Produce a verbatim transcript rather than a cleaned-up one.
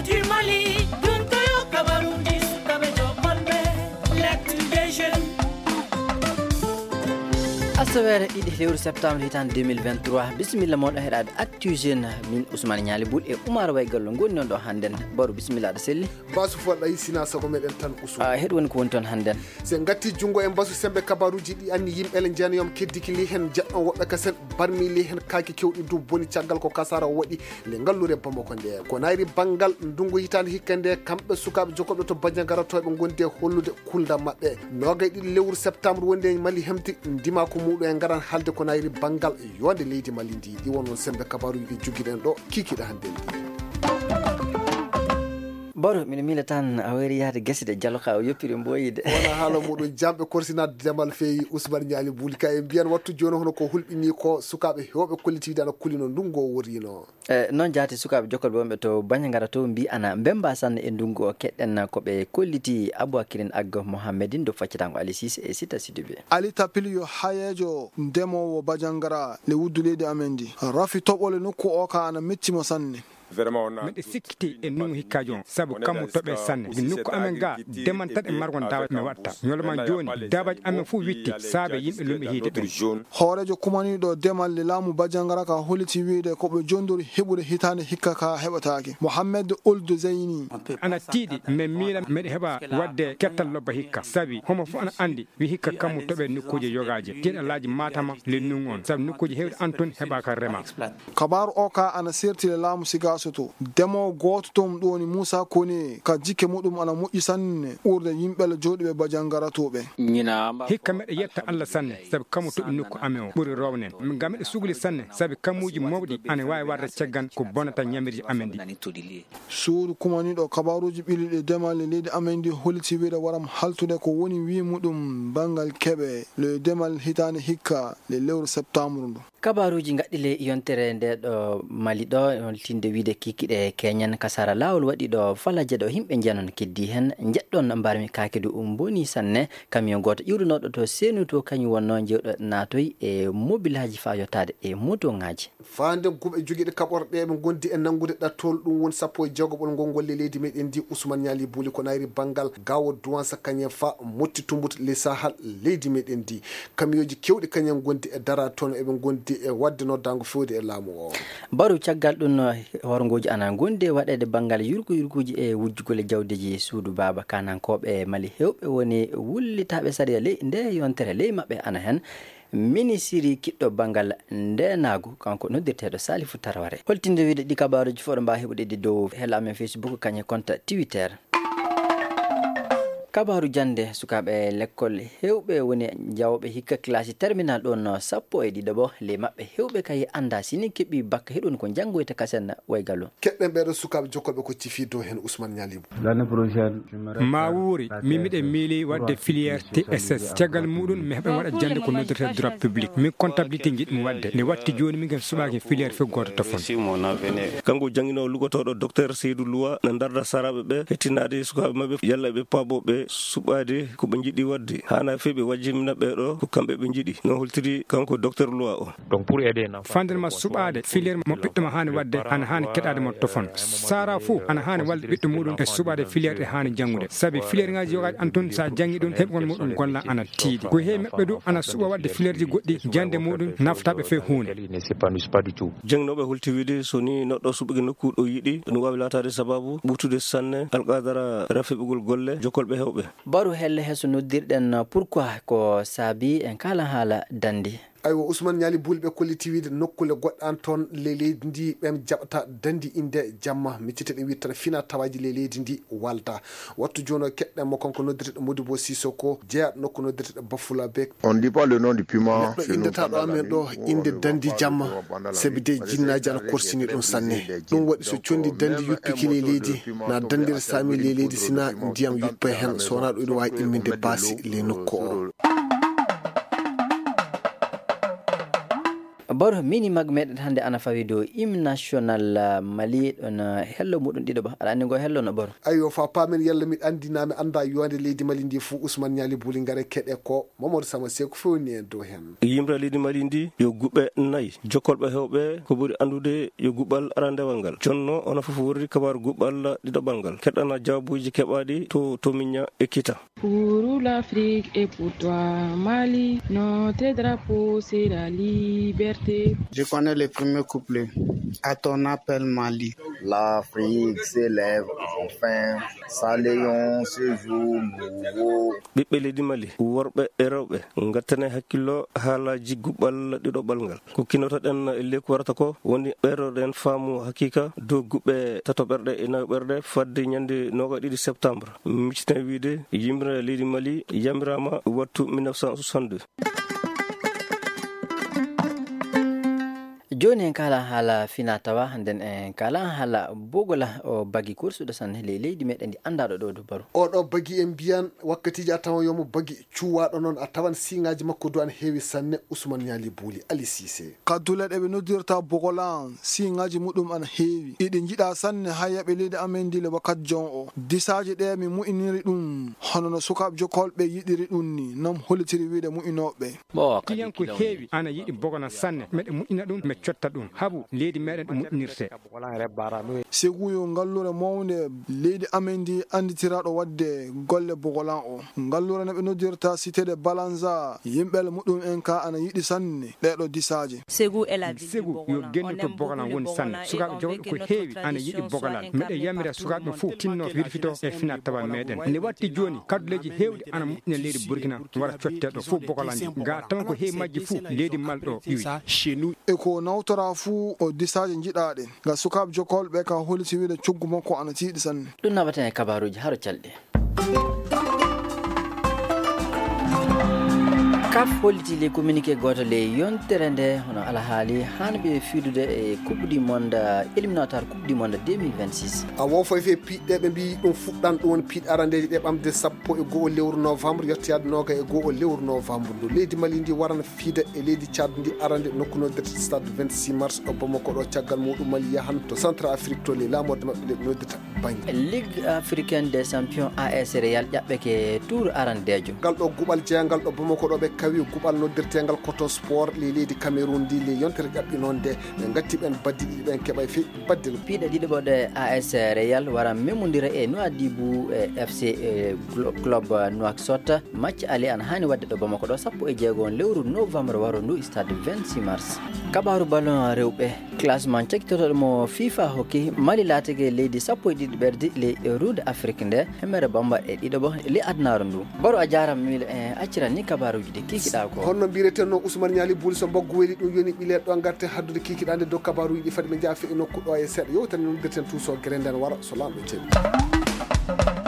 Timali, duntoyo kabarundi sukabe jokonbe, l'actu des jeunes. Asaweere ɗiɗi lewru septembre hitaande deux mille vingt-trois. Bisimilla moɗon heɗaade Actu Jeune. Min Ousmane Ñaali Bul e Oumar Way Gallo ngoni non ɗo hannden. Baru, bisimilla aɗa selli. Basu fo ɗayi sina sago meɗen tan Ousmane. A heɗ woni ko woni toon hannden. Se ngatti junngo e mbasu sembe kabaruuji ɗi anni yimɓe le njeenayom keddiki li hen jeɗɗon woɓɓe kasen barmi li hen kaaki kewɗi du boni caggal ko kasara waɗi nde ngallure Bamako nde. Ko nayri banngal ndungu hitaande hikka nde kamɓe sukaaɓe jokkoɓe to Bandiagara to ɓe ngondi e hollude kulda maɓɓe. Noogay ɗiɗi lewru septembre wonde Mali hemti ndimaaku muɗum e ngaran haalde ko nayri banngal yonde leydi Mali ndi. Ɗi won non sembe kabaruuji ɗi jogiɗen ɗo kikiɗe hannde ndi. Baro, miɗo miila tan a wayri yahde gese de jalo ka o yoppiri mboyi de. Wona haala muɗum jamɓe korsinaade demal feewi Ousmane Ñaali Buli ka e mbiyan wattu jooni hono ko hulɓini ko sukaaɓe heewɓe kollitiiɗe ana kulino ndungu o worino. E, noon jaati sukaaɓe jokkolɓe wonɓe to Bandiagara to mbi ana mbemba sanne e ndungu o keɗɗen ko ɓe kolliti Aboubacrine Aggo Mohammedine do faccatango Ali Cissé e Sita Sidibé. Ali Tapil yo hayeejo ndemoowo Bandiagara le wuddu leydi amen ndi. Rafi toɓole nokku o ka ana metti mo sanne. Miɗo sikkiti e ndungu hikka joon, sabu kammu toɓe sanne. Nokku amen ga, demantaɗe margo dawa mi watta. Ñoloma jooni, dabaji amen fof witti, saabe yimɓe lumɓe hiide ɓen. Hooreejo kumaniiɗo demal le laamu Bandiagara ka holliti wiide ko ɓe jondori heɓude hitaande hikka ka heɓataake. Mohamed Ould Zeyni. Ana tiiɗi, min miila miɗo heɓa waɗde kettal lobba hikka, sabi homo fof ana anndi wi hikka kammu toɓe nokkuuje yogaaje, tiiɗalaaji Maatama lennun on, sabu nokkuuje heewɗe an ton heɓaaka rema. Kabaaru o ka ana serti le laamu Sigaaso to. Demoowo gooto ton ɗum woni Muusa Kone ka jikke muɗum ana moƴƴi sanne ɓurde yimɓe le jooɗuɓe Bandiagara to ɓe. Hikka meɗe yetta Alla sanne, sabi kammu toɓi nokku amen o ɓuri rownen. Ngam meɗe sugli sanne, sabi kammuuji mawɗi ana waawi warde caggan ko bonata ñamirji amen ɗi. Suudu kumaniiɗo kabaaruuji ɓilliiɗi e demal e leydi amen ndi holliti wiide waram haltude ko woni wii muɗum banngal keɓe le demal hitaande hikka le lewru septembre ndu. Kabaaruuji ngaɗɗi ley yontere nde ɗo Mali ɗo, holtinde wiide kikiɗe keñen ka sara laawol waɗi ɗo Falaje ɗo yimɓe njenon keddi hen njeɗɗon mbarmi kaake du mboni sanne. Kamiyon gooto iwrunooɗo to Seenu to kañum wonnoo jewɗo naatoy e mobilaaji faa yottaade e motoŋaaji. Faa nden kuɓe jogiiɗe kaɓorɗe eɓe ngondi e nanngude ɗattol, ɗum woni sappo e jeegoɓol ngol ngol le leydi meɗen ndi. Usman Ñaali Buli ko nayri banngal gawo duwansa kañen fa motti tumbut le sahal leydi meɗen ndi. Kamiyooji kewɗi kañen ngondi e dara toon eɓe ngondi e waɗde noddaango fewde e laamu o. Baru caggal ɗum horngooji ana ngondi e waɗeede banngal yurgu yurguuji e wujjugol e jawdeeji suudu baaba kanankooɓe Mali hewɓe woni wullitaaɓe sariya ley nde yontere ley maɓɓe ana hen. Minisiri kiɗɗo banngal ndeenaagu, kanko noddirteeɗo Salifu Taraware. Holtinde wiide ɗi kabaaruuji fof ɗo mbaawi heɓude ɗi dow hela amen Facebook, kañe konta Twitter. Kabaaru jannde, sukaaɓe lekkol heewɓe woni jawooɓe hikka kilasi terminal ɗoon sappo e ɗiɗo ɓo, ley maɓɓe heewɓe kay anndaa si ni keɓi bakka heɗun ko njanngoyta kasen waygalu. Keɗɗen ɓeeɗo sukaaɓe jokkoɓe ko cifi dow heen Ousmane Ñaali. Maa wuuri, min miɗen miili waɗde filière T S S. Caggal muɗum, mi heɓan waɗa jannde ko noddirtee droit public. Min comptabilité njiɗmi waɗde. Nde watti jooni, min ken suɓaaki filière fof gooto tofon. Kanko jannginoowo lugotooɗo Docteur Seydou Loua na ndarda saraaɓe ɓe, hettinaade sukaaɓe maɓɓe, yalla ɓe paaboo ɓe suɓaade ko ɓe njiɗi waɗde. Haanaa fey ɓe wajjimina ɓee ɗoo ko kamɓe ɓe njiɗi. No holtiri kanko Docteur Loua o. Fanden ma suɓaade filière mo ɓiɗɗo ma haani waɗde, ana haani keɗaade mo tofon. Sara fuu ana haani wallude ɓiɗɗo muɗum e suɓaade filière ɗe haani janngude. Sabi filière ŋaaji yogaaji ana ton, so a janngi ɗum, heɓgol muɗum golla ana tiiɗi. Ko heewi maɓɓe du ana suɓa waɗde filièreji goɗɗi, jannde muɗum naftaa ɓe fey huunde. Jannginooɓe holti wiide so ni neɗɗo suɓike nokku ɗo yiɗi, ɗum waawi laataade sabaabu ɓurtude sanne alqadara rafeɓugol golle jokkolɓe heewɓe. Baru helle heso noddirɗen pourquoi ko saabi en kaalan haala dandi. Aywa, Ousmane Ñaali Buli ɓe kolliti wiide nokkule goɗɗe an toon ley leydi ndi ɓen jaɓata dandi innde jamma. Miccite ɗe wiide tan fina tawaaji ley leydi ndi walta. Wattu jooni o keɗɗen mo kanko noddirɗo Modibo Sisoko jeyaɗo nokku noddirɗo Bafulabe. On dit pas le nom du piment. Neɗɗo inndata ɗo amen ɗo innde dandi jamma, sabi de jinnaaji ana korsini ɗum sanne. Ɗum waɗi so conndi dandi yuppike ley leydi, na dandira saami ley leydi sina ndiyam yuppa hen, so wonaa ɗum ina waawi imminde baasi ley nokku o. Baro, mini mag meɗen hannde ana fawi dow hymne national, ah, Mali, ɗon, ah, hello muɗum ɗiɗo ba. Aɗa anndi ngo hello no baro? Ayyo, fa paamen yalla miɗo anndi naa mi annda yonde leydi Mali ndi fuu. Usman Ñaali Buli ngare keɗe ko Momodou Sama Seeku fewni en dow hen. Yimre leydi Mali ndi yo guɓɓe nayi. Jokkolɓe heewɓe ko ɓuri anndude yo guɓɓal arandewal ngal. Jonno onon fof worri kabaaru guɓɓal ɗiɗoɓal ngal. Keɗɗana jawaabuuji keɓaaɗi to Tomiña e Kita. Pour l'Afrique et pour toi, Mali, notre drapeau, c'est la liberté. Je connais le premier couplet. À ton appel, Mali. L'Afrique s'élève enfin, saluons ce jour nouveau. Ɓiɓɓe leydi Mali, worɓe e rewɓe, ngattane hakkillo haalaaji guɓɓal ɗiɗoɓal ngal. Ko kinotoɗen e leyku warata ko woni ɓeydoɗen faamu hakiika dow guɓɓe tatoɓerɗe e nayoɓerɗe fadde ñande noogaɗiɗi septembre. Micciten wiide yimre leydi Mali yamiraama wattu mille neuf cent soixante-deux. Jooni en kaalan haala finaa tawaa, nden en kaalan haala Bogola, o bagi kursuɗo sanne ley leydi meɗen ndi anndaa ɗo ɗo Dubaru. Oɗo bagi en mbiyan wakkatiiji a tawan yomo bagi cuwaaɗo noon a tawan siŋaaji makko du ana heewi sanne. Usman Ñaali Buuli Ali Siise. Kaddule ɗe ɓe noddirta Bogola, siŋaaji muɗum ana heewi. Iɗi njiɗa sanne hayyaɓe leydi amen ndi le wakkati jon o. Disaaji ɗe mi mu'iniri ɗum, hono no sukaaɓe jokkolɓe yiɗiri ɗum ni, non hollitiri wiide mu'inooɓe. Bon, kadi client ko heewi ana yiɗi Bogola sanne. Meɗe mu'ina ɗum, me cotta ɗum. Habu leydi meɗen ɗo mu'inirte. Segu yo ngallure mawnde leydi amen ndi annditiraaɗo waɗde golle Bogolan o. Ngallure no ɓe noddirta Cité de Balanza, yimɓe muɗum en ka ana yiɗi sanne ɗeeɗo disaaje. Segu yo genni to Bogolan woni sanne. Sukaaɓe jawɗo ko heewi ana yiɗi Bogolan. Miɗe yamira sukaaɓe ɓe fuu tinno wirfito e finaa tawa meɗen. Nde watti jooni, kadduleeji heewɗi ana moƴƴina leydi Burkina wara cotte ɗo fuu Bogolan ndi. Ga tan ko heewi majji fuu leydi Mali ɗo iwi. E ko nawtora fuu o disaaje njiɗaaɗe. Ga sukaaɓe jokkolɓe ka holliti wiide coggu makko ana tiiɗi sanne. Ɗum naɓaten e kabaaruuji haro calɗi. Kaf holliti ley communiqué gooto ley yontere nde, hono alhaali haanɓe fiidude e Coupe du Monde, éliminatoire Coupe du Monde deux mille vingt-six. A woo foy fee piiɗɗe ɓe mbii ɗum fuɗɗan ɗum woni piiɗe arandeeje ɗe ɓamde sappo e go'o lewru novembre yettoyaade nooga e go'o lewru novembre ndu. Leydi Mali ndi warana fiida e leydi Tchad ndi arande nokku noddirte Stade vingt-six mars ɗo Bamako ɗo. Caggal muɗum Mali yahan to Centrafrique to ley laamorde maɓɓe nde ɓe noddita Bangi. Ligue africaine des champions, A S Real ƴaɓɓeke tour arandeejo. Ngal ɗo guɓal jeyangal ɗo Bamako ɗo ɓe kawi guɓal noddirteengal Coton Sport ley leydi Cameroun ndi ley yontere ƴaɓɓinoonde. Ɓe ngatti ɓen baddi ɗiɗi ɓen keɓay fey baddel. Piiɗe ɗiɗi ɓo ɗe A S Real wara memondira e Nouadhibou e F C e Glo-, Club Nouakchott. Match aller ana haani waɗde ɗo Bamako ɗo sappo e jeego on lewru novembre waro ndu, stade vingt-six mars. Kabaaru ballon rewɓe. Classement cakkitotooɗo mo FIFA hokki, Mali laatike leydi sappo e ɗiɗi ɓerdi ley ruunde Afrik nde, hemere bambaɗe ɗiɗo ɓo ley adunaaru ndu. Baro, a jaaraama, miile en acciran ni kabaaruuji ɗi kiikiɗaa ko. Honno mbiiretenno Usman Ñaali Buuli so mbaggu weli ɗum yoni ɓileeɗo ɗo ngarten haddude kiikiɗaande dow kabaaruuji ɗi fadi ɓe njaafe e nokku ɗo e seeɗa yewtere nde noddirten tuusoo gere nden wara so Laamɗo jaɓi.